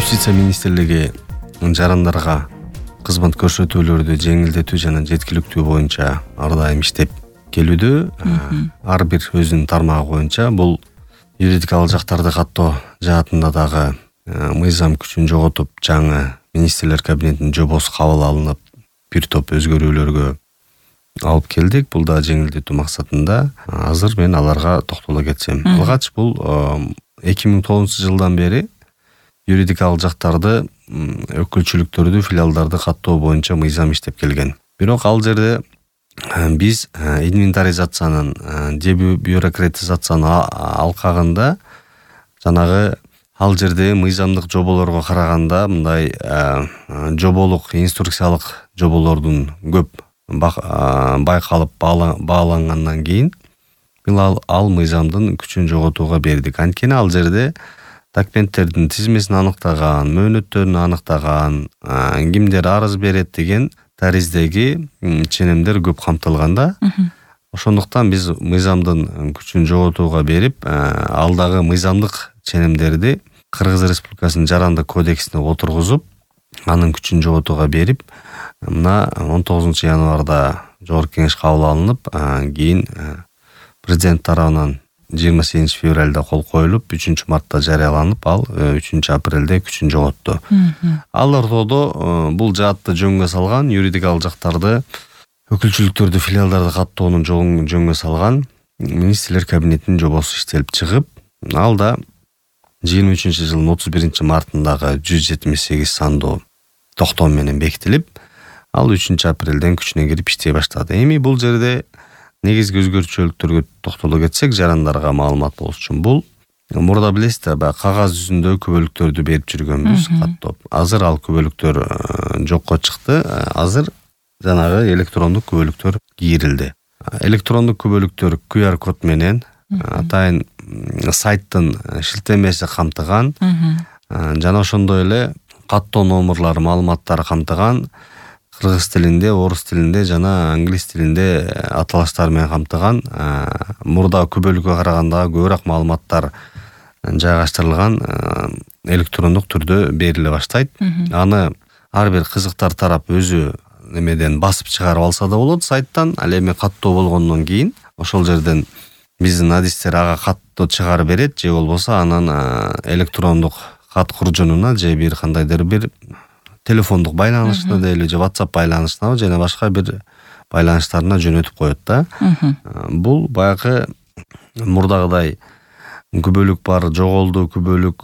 Юстиция министрлиги жарандарга кызмат көрсөтүүлөрдү жеңилдетүү жана жеткиликтүү боюнча ар дайым иштеп келүүдө. Ар бир өзүнүн тармагы боюнча бул юридикалык жактарды каттоо жаатында дагы мыйзам күчүн жоготуп, жаңы министрлер кабинетинин жобосу кабыл алынып, бир топ өзгөрүүлөргө алып келдик. Бул да жеңилдетүү максатында. Азыр мен аларга токтоло кетсем. Алгач бул 2009-жылдан бери юридикалык жактарды, өкүлчүлүктөрдү, филиалдарды каттоо боюнча мыйзам иштеп келген. Бирок ал жерде биз инвентаризациянын, дебюрократизациянын алкагында жанагы ал жерде мыйзамдык жоболорго караганда мындай жоболук, инструкциялык жоболордун көп байкалып баалангандан кийин ал мыйзамдын күчүн жоготууга бердик. Анткени ал жерде документтердин тизмесин аныктаган, мөөнөттөрүн аныктаган, кимдер арыз берет деген тариздеги ченемдер көп камтылганда. Ошондуктан биз мыйзамдын күчүн жоготууга берип, алдагы мыйзамдык ченемдерди Кыргыз Республикасынын жарандык кодексине отургузуп, анын күчүн жоготууга берип, мына 19-январда жогорку кеңеш кабыл алынып, кийин президент тарабынан 28-февралда кол коюлуп, 3-мартта жарыяланып, ал 3-апрелде күчүн жоготту. Ал ортодо бул жаатты жөнгө салган, юридикалык жактарды, өкүлчүлүктөрдү, филиалдарды каттоонун жолун жөнгө салган министрлер кабинетинин жобосу иштелип чыгып, ал да 23-жылдын 31-мартындагы 178 сандуу токтом менен бекитилип, ал 3-апрелден күчүнө кирип иштей баштады. Эми бул жерде негизги өзгөрчүлүктөргө токтоло кетсек, жарандарга маалымат болуш үчүн, бул мурда билесиз да, кагаз жүзүндө күбөлүктөрдү берип жүргөнбүз каттоп. Азыр ал күбөлүктөр жокко чыкты. Азыр жанагы электрондук күбөлүктөр кийрилди. Электрондук күбөлүктөр QR код менен атайын сайттын шилтемеси камтыган, жана ошондой эле каттоо номурлары, маалыматтары камтыган, кыргыз тилинде, орус тилинде жана англис тилинде аталыштар менен камтыган, мурда күбөлүккө караганда көбүрөөк маалыматтар жайгаштырылган электрондук түрдө бериле баштайт. Аны ар бир кызыктар тарап өзү немеден басып чыгарып алса да болот сайттан. Ал эми каттоо болгондон кийин ошол жерден биздин адистер ага каттоо чыгарып берет, же болбосо анан электрондук кат куржунуна же бир кандайдыр бир телефондук байланышына дейли, же WhatsApp байланышына, жана башка бир байланыштарына жөнөтүп коет да. Бул баягы мурдагыдай күбөлүк бар, жоголду күбөлүк,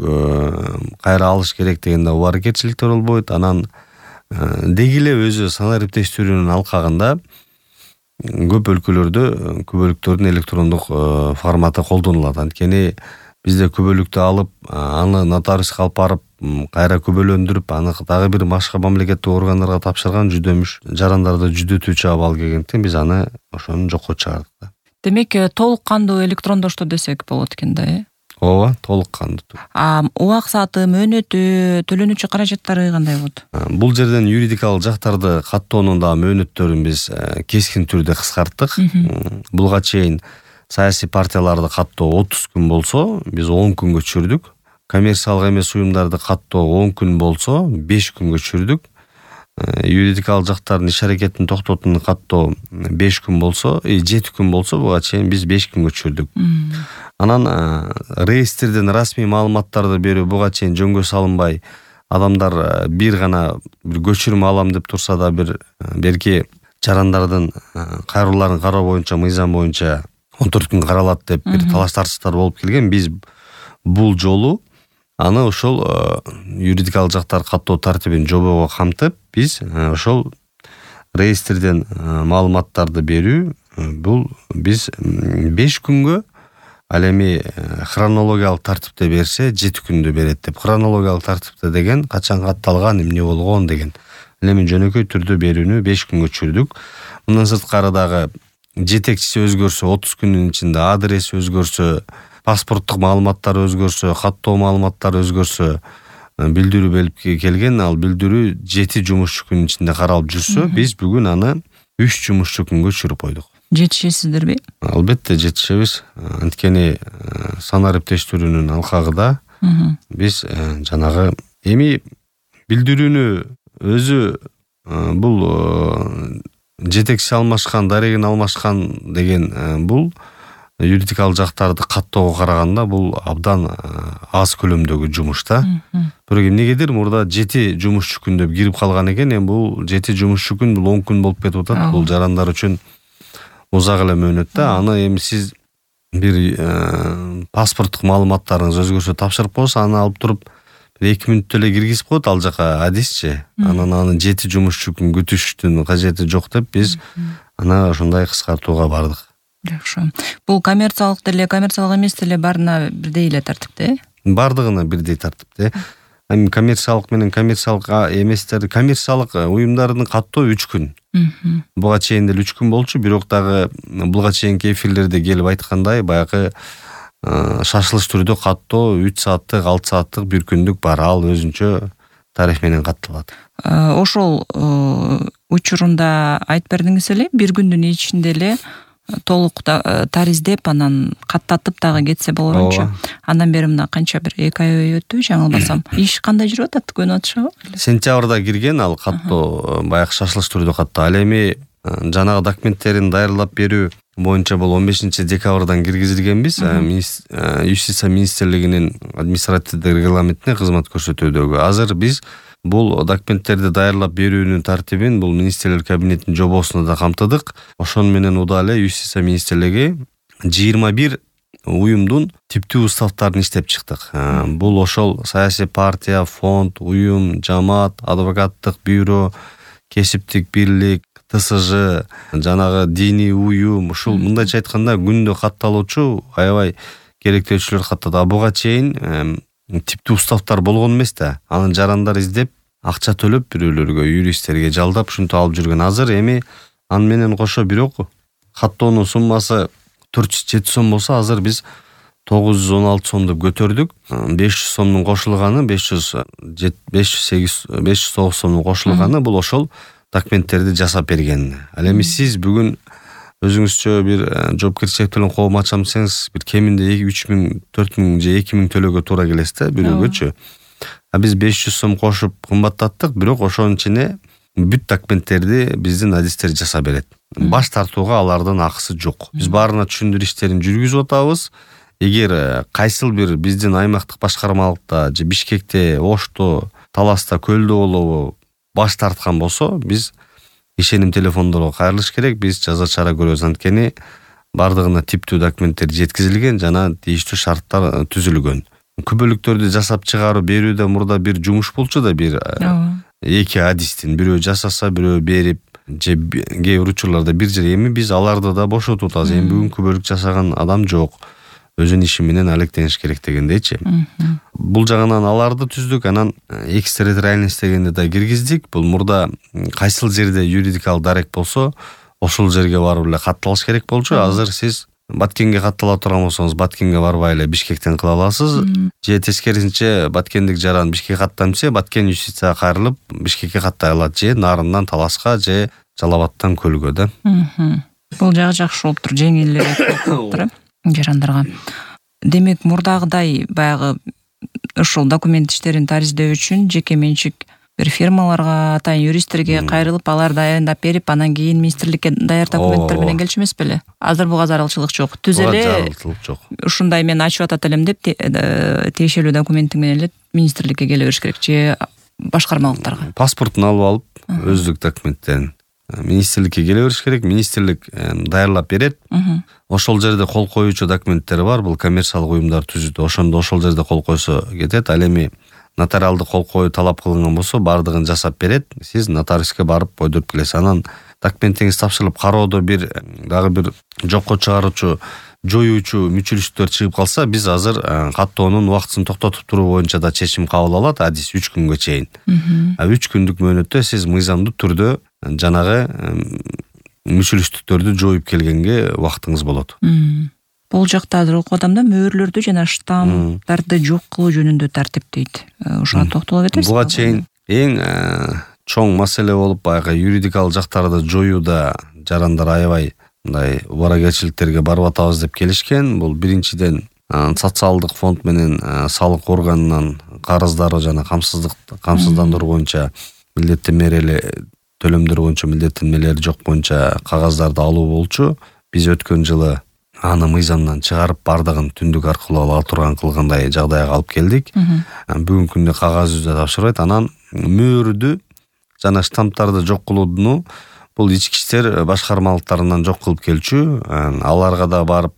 кайра алыш керек деген да убаркерчиликтер болбойт. Анан деги эле өзү санариптештирүүнүн алкагында көп өлкөлөрдө күбөлүктөрдүн электрондук форматы колдонулат. Анткени бизде күбөлүктү алып, аны нотариуска алып барып, кайра күбөлөндүрүп, аны дагы бир башка мамлекеттик органдарга тапшырган жүдөмүш жарандарды жүдөтүүчү абал келгендиктен биз аны ошону жокко чыгардык. Демек, толук кандуу электрондоштоо десек болот экен да, Ооба, толук кандуу. Убак сааты, мөөнөтү, төлөнүүчү каражаттары кандай болот? Бул жерден юридикалык жактарды каттоонун да мөөнөттөрүн биз кескин түрдө кыскарттык. Булга чейин саясий партияларды каттоо 30 күн болсо, биз 10 күнгө түшүрдүк. Коммерциялык эмес уюмдарды каттоо 10 күн болсо, 5 күнгө түшүрдүк. Юридикалык жактардын иш аракетин токтотууну каттоо 5 күн болсо, 7 күн болсо, буга чейин биз 5 күнгө түшүрдүк. Анан реестрден расмий маалыматтарды берүү буга чейин жөнгө салынбай, адамдар бир гана бир көчүрмө алам деп турса да, бир берки жарандардын кайрылууларын кароо боюнча, мыйзам боюнча 14 күн каралат деп бир талаш-тартыштар болуп келген. Биз бул жолу аны ошол юридикалык жактар каттоо тартибин жобого камтып, биз ошол реестрден маалыматтарды берүү, бул биз 5 күнгө, ал эми хронологиялык тартипте берсе 7 күндө берет деп. Хронологиялык тартипте деген качан катталган, эмне болгон деген. Ал эми жөнөкөй түрдө берүүнү 5 күнгө түшүрдүк. Мындан сырткары дагы жетекчиси өзгөрсө, 30 күндүн ичинде адреси өзгөрсө, паспорттук маалыматтар өзгөрсө, каттоо маалыматтары өзгөрсө, билдирүү берип келген. Ал билдирүү 7 жумушчу күнүн ичинде каралып жүрсө, биз бүгүн аны 3 жумушчу күнгө түшүрүп койдук. Жетишесиздерби? Албетте жетишебиз. Анткени санариптештирүүнүн алкагында биз жанагы Эми билдирүүнү өзү бул жетекчи алмашкан, дарегин алмашкан деген бул юридикалык жактарды каттоого караганда бул абдан аз көлөмдөгү жумуш да. Бирок эмнегедир мурда 7 жумушчу күн деп кирип калган экен. Эми бул 7 жумушчу күн бул 10 күн болуп кетип атат. Бул жарандар үчүн узак эле мөөнөт да. Аны эми сиз бир паспорттук маалыматтарыңыз өзгөчө тапшырып коесуз, аны алып туруп 2 мүнөттө эле киргизип коет ал жака адисчи. Анан аны 7 жумушчу күн күтүштүн кажети жок деп биз аны ошондой кыскартууга бардык. Жакшы. Бул коммерциялык деле, коммерциялык эмес деле баарына бирдей эле тартипте? Бардыгына бирдей тартипте. Эми коммерциялык менен коммерциялык эместерди, коммерциялык уюмдардын каттоо 3 күн. Буга чейин деле 3 күн болчу, бирок дагы буга чейинки эфирлерде келип айткандай, баягы шашылыш түрдө каттоо 3 сааттык, 6 сааттык, 1 күндүк бар. Ал өзүнчө тариф менен катталат. Ошол учурунда айтып бердиңиз эле, 1 күндүн ичинде эле толук тариздеп анан каттатып дагы кетсе болорунчу. Андан бери мына канча бир 2 ай өттү, жаңылбасам. Иш кандай жүрүп атат? Көнүп атышабы? Сентябрда кирген ал каттоо, баягы шашылыш түрдө каттоо. Ал эми жанагы документтерин даярдап берүү боюнча бул 15 декабрдан киргизилгенбиз. Юстиция министрлигинин административдик регламентине кызмат көрсөтүүдөгү. Азыр биз бул документтерди даярдап берүүнүн тартибин бул министрлер кабинетинин жобосунда да камтыдык. Ошону менен удаа эле Юстиция министрлиги 21 уюмдун типтүү уставтарын иштеп чыктык. Бул ошол саясий партия, фонд, уюм, жамаат, адвокаттык бюро, кесиптик бирлик, ТСЖ, жанагы диний уюм, ушул мындайча айтканда күндө катталуучу аябай керектөөчүлөр каттады. Буга чейин типтүү уставтар болгон эмес да. Анын жарандар издеп, акча төлөп бирөөлөргө, юристтерге жалдап ушинтип алып жүргөн. Азыр эми аны менен кошо бирок каттоонун суммасы 407 сом болсо, азыр биз 916 сом деп көтөрдүк. 500 сомдун кошулганы, 509 сомдун кошулганы бул ошол документтерди жасап берген. Ал эми сиз бүгүн өзүңүзчө бир жоопкерчилик менен коом ачам десеңиз, бир кеминде 3000, 4000 же 2000 төлөөгө туура келесиз да бирөөгөчү. Биз 500 сом кошуп кымбаттаттык, бирок ошонун ичине бүт документтерди биздин адистер жасап берет. Баш тартууга алардын акысы жок. Биз баарына түшүндүрүү иштерин жүргүзүп атабыз. Эгер кайсыл бир биздин аймактык башкармалыкта же Бишкекте, Ошто, Таласта, Көлдө болобу баш тарткан болсо, биз ишеним телефондорго кайрылыш керек. Биз жаза чара көрөбүз. Анткени бардыгына типтүү документтер жеткизилген жана тийиштүү шарттар түзүлгөн. Күбөлүктөрдү жасап чыгарып берүүдө мурда бир жумуш болчу да, бир 2 адистин бирөө жасаса, бирөө берип, же кээ бир учурларда бир жер. Эми биз аларды да бошотуп атабыз. Эми бүгүн күбөлүк жасаган адам жок. Өзүнүн иши менен алектениш керек дегендейчи. Бул жагынан аларды түздүк, анан экстерриториальность дегенди да киргиздик. Бул мурда кайсыл жерде юридикалык дарек болсо, ошол жерге барып эле катталыш керек болчу. Азыр сиз Баткенге каттала турган болсоңуз, Баткенге барбай эле Бишкектен кыла аласыз. Же тескерисинче Баткендик жаран Бишкекке каттам десе, Баткен юстицияга кайрылып Бишкекке каттай алат, же Нарындан Таласка, же Жалал Абадтан Көлгө да. Бул жагы жакшы болуп тур, жеңилирээк болуп тур жарандарга. Демек, мурдагыдай баягы ошол документ иштерин тариздөө үчүн жеке менчик бир фирмаларга, атайын юристтерге кайрылып, алар даярдап берип, анан кийин министрликке даяр документтер менен келчү эмес беле? Азыр буга зарылчылык жок. Түз эле ушундай мен ачып атат элем деп тиешелүү документи менен эле министрликке келе бериш керек, же башкармалыктарга. Паспортун алып алып, өздүк документтерин министрликке келе бериш керек. Министрлик даярлап берет. Ошол жерде кол коюучу документтер бар. Бул коммерциялык уюмдар түзүүдө ошондо ошол жерде кол койсо кетет. Ал эми нотариалдык кол коюу талап кылынган болсо, бардыгын жасап берет. Сиз нотариуске барып койдуруп келесиз. Анан документиңиз тапшырылып, кароодо бир дагы бир жокко чыгаруучу, жоюучу мүчүлүштөр чыгып калса, биз азыр каттоонун убактысын токтотуп туруу боюнча да чечим кабыл алат. Адис 3 күнгө чейин. 3 күндүк мөөнөттө сиз мыйзамдуу түрдө жанагы мүчүлүштүктөрдү жоюп келгенге убактыңыз болот. Бул жакта азыр окуп атам да, мөөрлөрдү жана штамптарды жок кылуу жөнүндө тартип дейт. Ошого токтоло кетесиз? Буга чейин эң чоң маселе болуп, баягы юридикалык жактарды жоюуда жарандар аябай мындай убаракерчиликтерге барып атабыз деп келишкен. Бул биринчиден социалдык фонд менен салык органынан карыздары жана камсыздандыруу боюнча милдеттенмелери төлөмдөр боюнча милдеттенмелери жок боюнча кагаздарды алуу болчу. Биз өткөн жылы аны мыйзамдан чыгарып бардыгын түндүк аркылуу ала турган кылгандай жагдайга алып келдик. Бүгүнкү күндө кагаз жүзүндө тапшырбайт. Анан мөөрдү жана штамптарды жок кылууну бул ички иштер башкармалыктарынан жок кылып келчү. Аларга да барып,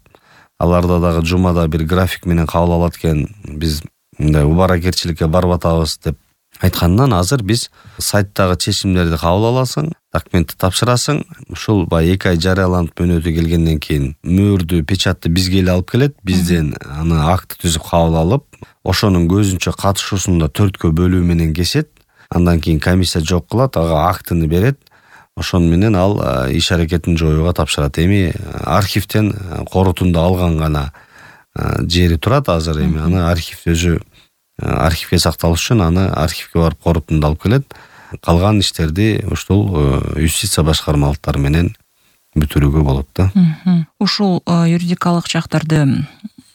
аларда дагы жумада бир график менен кабыл алат экен. Биз мындай убаракерчиликке барып атабыз деп айткандан азыр биз сайттагы чечимдерди кабыл аласың, документти тапшырасың. Ушул баягы 2 ай жарыяланып мөөнөтү келгенден кийин мөөрдү, печатты бизге эле алып келет. Бизден аны акт түзүп кабыл алып, ошонун көзүнчө катышуусунда 4кө бөлүү менен кесет. Андан кийин комиссия жок кылат, ага актыны берет. Ошон менен ал иш аракетин жоюуга тапшырат. Эми архивден корутунду алган гана жери турат азыр. Эми аны архив өзү архивге сакталыш үчүн аны архивге барып корутунду алып келет. Калган иштерди ушул юстиция башкармалыктары менен бүтүрүүгө болот да. Ушул юридикалык жактарды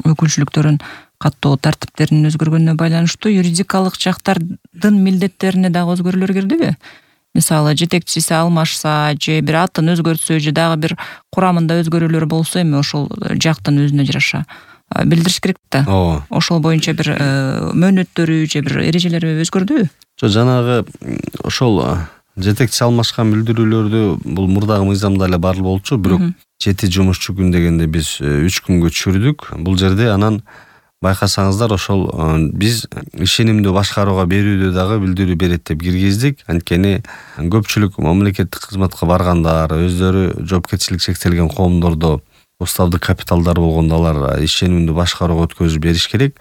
өкүлчүлүктөрүн каттоо тартиптеринин өзгөргөнүнө байланыштуу юридикалык жактардын милдеттерине дагы өзгөрүүлөр кирдиби? Мисалы, жетекчиси алмашса, же бир атын өзгөртсө, же дагы бир курамында өзгөрүүлөр болсо, эми ошол жактын өзүнө жараша билдириш керек да. Ошол боюнча бир мөөнөттөрү же бир эрежелери өзгөрдүбү? Жанагы ошол жетекчи алмашкан билдирүүлөрдү бул мурдагы мыйзамда эле бар болчу, бирок 7 жумушчу күн дегенде биз 3 күнгө түшүрдүк. Бул жерде анан байкасаңыздар ошол биз ишенимдүү башкарууга берүүдө дагы билдирүү берет деп киргиздик. Анткени көпчүлүк мамлекеттик кызматка баргандар, өздөрү жоопкерчилик чектелген коомдордо уставдык капиталдар болгондо алар ишенимдүү башкарууга өткөзүп бериш керек.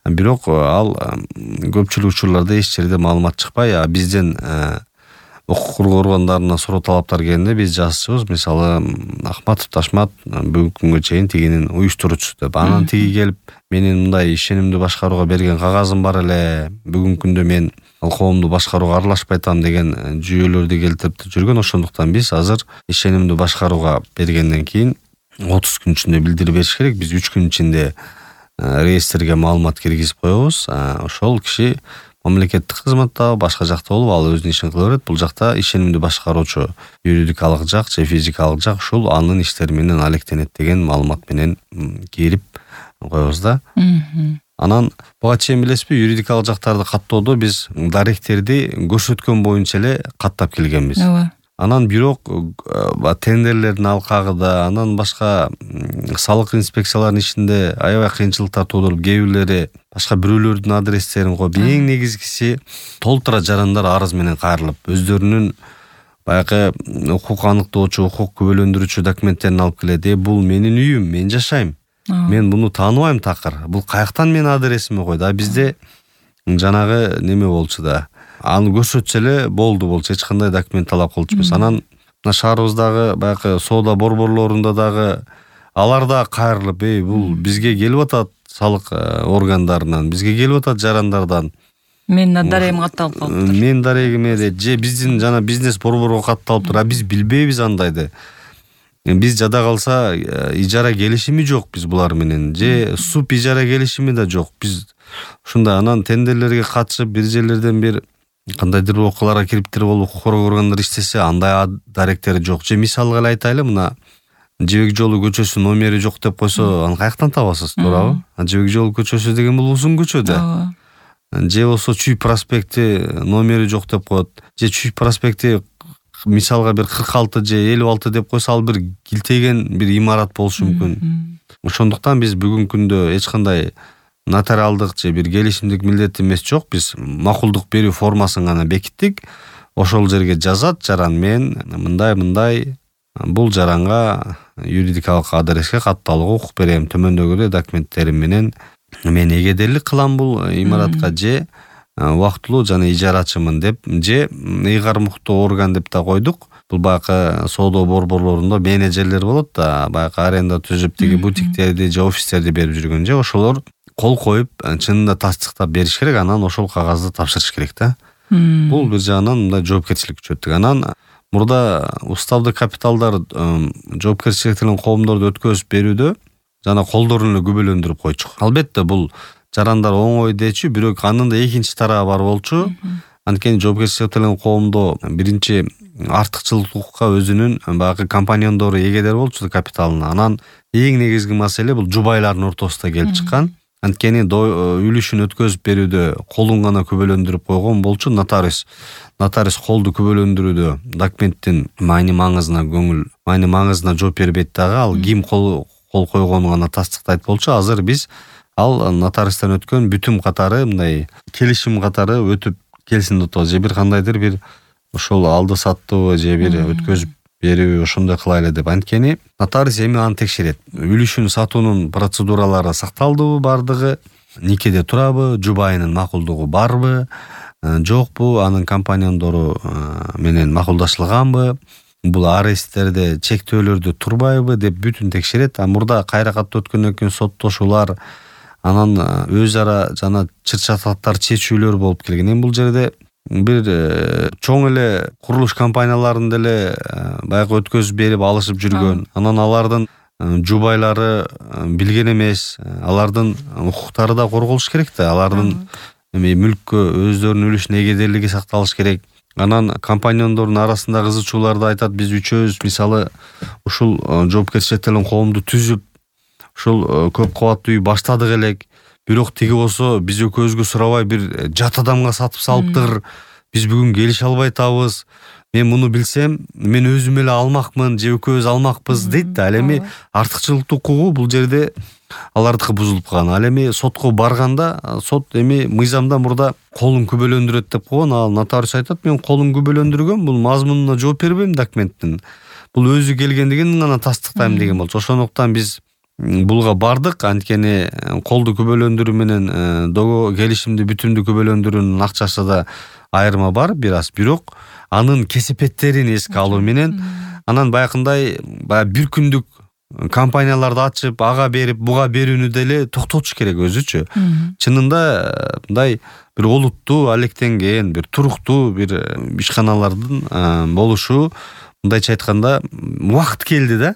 Бирок ал көпчүлүк учурларда эч жерде маалымат чыкпай, бизден укук коргоо органдарына суроо талаптар келгенде биз жазчубуз. Мисалы, Ахматов Ташмат бүгүнкү күнгө чейин тигинин уюштуруучусу деп. Анан тиги келип, менин мындай ишенимдүү башкарууга берген кагазым бар эле, бүгүнкү күндө мен ал коомду башкарууга аралашпай атам деген жүйөлөрдү келтирип жүргөн. Ошондуктан биз азыр ишенимдүү башкарууга бергенден кийин 30 күн ичинде билдирип бериш керек. Биз 3 күн ичинде реестрге маалымат киргизип коебуз. Ошол киши мамлекеттик кызматта, башка жакта болуп, ал өзүнүн ишин кыла берет. Бул жакта ишенимдүү башкаруучу юридикалык жак же физикалык жак ушул анын иштери менен алектенет деген маалымат менен кирип коебуз да. Анан буга чейин билесизби, юридикалык жактарды каттоодо биз даректерди көрсөткөн боюнча эле каттап келгенбиз. Анан бирок тендерлердин алкагында, анан башка салык инспекцияларынын ишинде аябай кыйынчылыктар туудуруп, кээ бирлери башка бирөөлөрдүн адрестерин коюп, эң негизгиси толтура жарандар арыз менен кайрылып, өздөрүнүн баягы укук аныктоочу, укук күбөлөндүрүүчү документтерин алып келет. Бул менин үйүм, мен жашайм. Мен буну тааныбайм такыр. Бул каяктан менин адресиме койду? Бизде жанагы неме болчу да. Аны көрсөтсө эле болчу, эч кандай документ талап кылчубуз. Анан шаарыбыздагы баягы соода борборлорунда дагы алар да кайрылып, бул бизге келип атат салык органдарынан, бизге келип атат жарандардан. Менин дарегим катталып калыптыр. Менин дарегиме же биздин жана бизнес борборго катталыптыр. Биз билбейбиз андайды. Биз жада калса ижара келишими жок биз булар менен, же суп ижара келишими да жок. Биз ушундай анан тендерлерге катышып бир жерлерден бир кандайдыр окуяларга кириптир болуп укук коргоо органдары иштесе, андай даректери жок. Же мисалга эле айтайлы, мына Жебек жолу көчөсү номери жок деп койсо, аны каяктан табасыз, туурабы? Жебек жолу көчөсү деген бул узун көчө да. Же болсо Чүй проспекти номери жок деп коет. Же Чүй проспекти мисалга бир 46 же 56 деп койсо, ал бир килтеген бир имарат болушу мүмкүн. Ошондуктан биз бүгүнкү күндө эч кандай нотариалдык же бир келишимдик милдетимиз жок. Биз макулдук берүү формасын гана бекиттик. Ошол жерге жазат жаран, мен мындай бул жаранга юридикалык адреске катталууга укук берем. Төмөндөгүдөй документтерим менен мен эгедерлик кылам бул имаратка, же убактылуу жана ижарачымын деп, же ыйгар муктуу орган деп да койдук. Бул баягы соода борборлорунда менеджерлер болот да, баягы аренда түзүп тиги бутиктерди же офистерди берип жүргөн, же ошолор кол коюп чынында тастыктап бериш керек, анан ошол кагазды тапшырыш керек да. Бул бир жагынан мындай жоопкерчилик күчөттүк. Анан мурда уставдык капиталдар жоопкерчиликтен коомдорду өткөзүп берүүдө жана колдорун эле күбөлөндүрүп койчук. Албетте бул жарандар оңой дечү, бирок анын да экинчи тарабы бар болчу. Анткени жоопкерчиликке тартылган коомдо биринчи артыкчылыкка өзүнүн баягы компаньондору эгедер болчу капиталына. Анан эң негизги маселе бул жубайлардын ортосунда келип чыккан. Анткени үлүшүн өткөзүп берүүдө колун гана күбөлөндүрүп койгон болчу нотариус. Нотариус колду күбөлөндүрүүдө документтин маңызына жооп бербейт дагы. Ал ким кол койгонун гана тастыктайт болчу. Азыр биз ал нотариустан өткөн бүтүм катары мындай келишим катары өтүп келсин деп атабыз. Же бир кандайдыр бир ошол алды саттуу же бир өткөзүп берүү ошондой кылайлы деп. Анткени нотариус эми аны текшерет. Үлүшүн сатуунун процедуралары сакталдыбы бардыгы, никеде турабы, жубайынын макулдугу барбы, жокпу, анын компаньондору менен макулдашылганбы, бул аресттерде чектөөлөрдө турбайбы деп бүтүн текшерет. Мурда кайра катуу өткөндөн кийин соттошуулар, анан өз ара жана чыр-чатактар чечүүлөр болуп келген. Эми бул жерде бир чоң эле курулуш компанияларын деле баягы өткөзүп берип алышып жүргөн. Анан алардын жубайлары билген эмес, алардын укуктары да корголуш керек да. Алардын мүлккө өздөрүнүн үлүшүнүн эгедерлиги сакталыш керек. Анан компаньондордун арасында кызычууларды айтат. Биз үчөөбүз мисалы ушул жоопкерчиликке тартылган коомду түзүп, ушул көп кабаттуу үй баштадык элек. Бирок тиги болсо биз экөөбүзгө сурабай бир жат адамга сатып салыптыр. Биз бүгүн келише албай атабыз. Мен муну билсем, мен өзүм эле алмакмын, же экөөбүз алмакпыз дейт да. Ал эми артыкчылыктуу укугу бул жерде алардыкы бузулуп калган. Ал эми сотко барганда, сот эми мыйзамда мурда колун күбөлөндүрөт деп койгон. Ал нотариус айтат, мен колун күбөлөндүргөм, бул мазмунуна жооп бербейм документтин. Бул өзү келгендигин гана тастыктайм деген болчу. Ошондуктан биз булга бардык. Анткени колду күбөлөндүрүү менен келишимди бүтүмдүү күбөлөндүрүүнүн акчасы да айырма бар бир аз. Бирок анын кесепеттерин эске алуу менен анан баягындай бир күндүк компанияларды ачып, ага берип, буга берүүнү деле токтотуш керек өзүчү. Чынында мындай бир олуттуу, алектенген, бир туруктуу бир ишканалардын болушу, мындайча айтканда, убакыт келди да.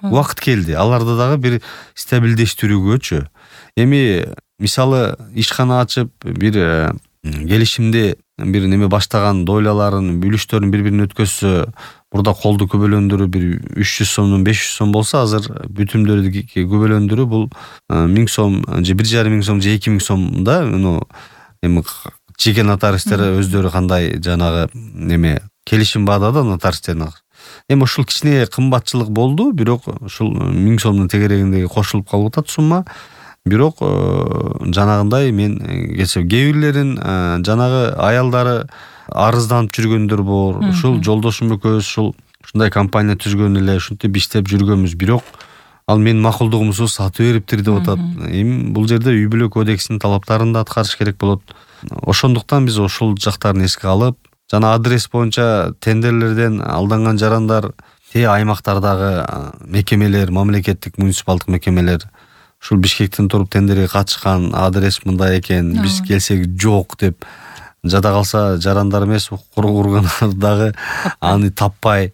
Убакыт келди. Аларды дагы бир стабилдештирүүгөчү. Эми мисалы ишкана ачып, бир келишимди бир неме баштаган дойлаларын, үлүштөрүн бири-бирине өткөзсө, мурда колду күбөлөндүрүү бир 300 сомдон 500 сом болсо, азыр бүтүмдөрдү күбөлөндүрүү бул 1000 сом, же 1,5 сом, же 2000 сом да. Эми жеке нотариустер өздөрү кандай жанагы неме келишим баада да нотариустердин. Эми ушул кичине кымбатчылык болду, бирок ушул 1000 сомдун тегерегиндеги кошулуп калып атат сумма. Бирок жанагындай мен кээ бирлерин жанагы аялдары арызданып жүргөндөр бар. Ушул жолдошум экөөбүз ушундай компания түзгөн эле, ушинтип иштеп жүргөнбүз. Бирок ал менин макулдугумсуз сатып бериптир деп атат. Эми бул жерде үй бүлө кодексинин талаптарын да аткарыш керек болот. Ошондуктан биз ушул жактарын эске алып, жана адрес боюнча тендерлерден алданган жарандар, аймактардагы мекемелер, мамлекеттик муниципалдык мекемелер ушул Бишкектен туруп тендерге катышкан, адрес мындай экен, биз келсек жок деп жада калса жарандар эмес, кургандар дагы аны таппай.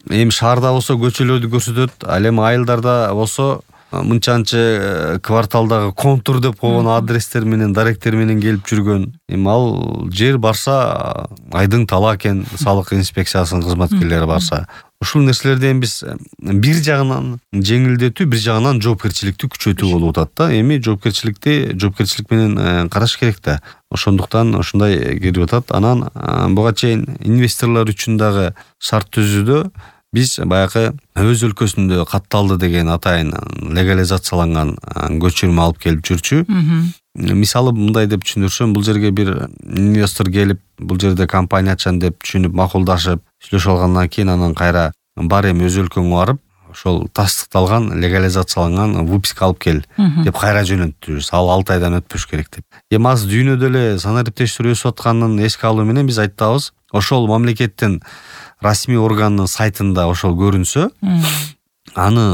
Эми шаарда болсо көчөлөрдү көрсөтөт, ал эми айылдарда болсо мынчанчы кварталдагы контур деп койгон адрестер менен, даректер менен келип жүргөн. Эми ал жер барса айдың тала экен, салык инспекциясынын кызматкерлери барса. Ушул нерселерден биз бир жагынан жеңилдетүү, бир жагынан жоопкерчиликти күчөтүү болуп атат да. Эми жоопкерчилик менен караш керек да. Ошондуктан ушундай кирип атат. Анан буга чейин инвесторлор үчүн дагы шарт түзүүдө биз баягы өз өлкөсүндө катталды деген атайын легализацияланган көчүрмө алып келип жүрчү. Мисалы мындай деп түшүндүрсөм, бул жерге бир инвестор келип, бул жерде компания ачам деп түшүнүп, макулдашып, сүйлөшүп алгандан кийин анан кайра бар эми өз өлкөңө барып, ошол тастыкталган, легализацияланган выписка алып кел деп кайра жөнөттүбүз. Ал 6 айдан өтпөш керек деп. Эми аз дүйнөдө эле санариптештирүү өсүп атканын эске алуу менен биз айтабыз, ошол мамлекеттин расмий органынын сайтында ошол көрүнсө, аны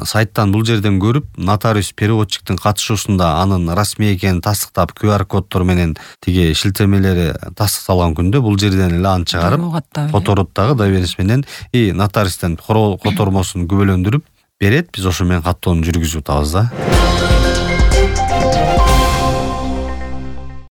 сайттан бул жерден көрүп, нотариус переводчиктин катышуусунда анын расмий экенин тастыктап, QR коддор менен тиги шилтемелери тастыкталган күндө бул жерден эле аны чыгарып, которот дагы доверенность менен нотариустен котормосун күбөлөндүрүп берет. Биз ошо менен каттоону жүргүзүп атабыз да.